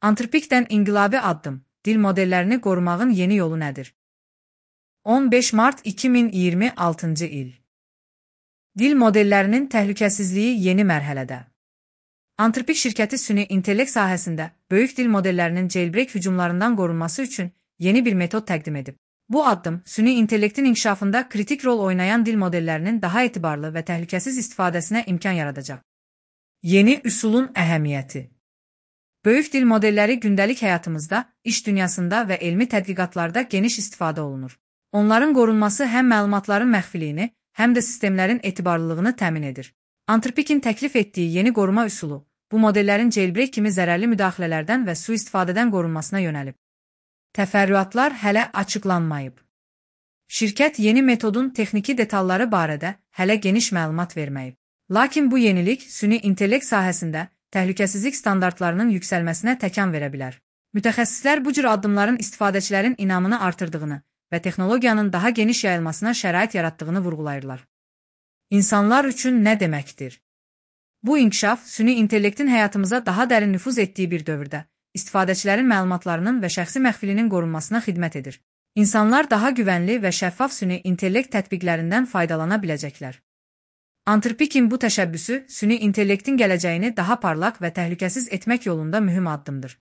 Antrpikdən inqilabi addım, dil modellərini qorumağın yeni yolu nədir? 15 mart 2026-cı il. Dil modellərinin təhlükəsizliyi yeni mərhələdə. Antrpik şirkəti süni intellekt sahəsində böyük dil modellərinin jailbreak hücumlarından qorunması üçün yeni bir metod təqdim edib. Bu addım, süni intellektin inkişafında kritik rol oynayan dil modellərinin daha etibarlı və təhlükəsiz istifadəsinə imkan yaradacaq. Yeni üsulun əhəmiyyəti. Böyük dil modelləri gündəlik həyatımızda, iş dünyasında və elmi tədqiqatlarda geniş istifadə olunur. Onların qorunması həm məlumatların məxfiliyini, həm də sistemlərin etibarlılığını təmin edir. Antrpikin təklif etdiyi yeni qoruma üsulu, bu modellərin jailbreak kimi zərərli müdaxilələrdən və sui-istifadədən qorunmasına yönəlib. Təfərrüatlar hələ açıqlanmayıb. Şirkət yeni metodun texniki detalları barədə hələ geniş məlumat verməyib. Lakin bu yenilik süni intellekt sahəsində təhlükəsizlik standartlarının yüksəlməsinə təkan verə bilər. Mütəxəssislər bu cür addımların istifadəçilərin inamını artırdığını və texnologiyanın daha geniş yayılmasına şərait yaratdığını vurğulayırlar. İnsanlar üçün nə deməkdir? Bu inkişaf süni intellektin həyatımıza daha dərin nüfuz etdiyi bir dövrdə istifadəçilərin məlumatlarının və şəxsi məxfilinin qorunmasına xidmət edir. İnsanlar daha güvənli və şəffaf süni intellekt tətbiqlərindən faydalana biləcəklər. Antrpikin bu təşəbbüsü süni intellektin gələcəyini daha parlaq və təhlükəsiz etmək yolunda mühüm addımdır.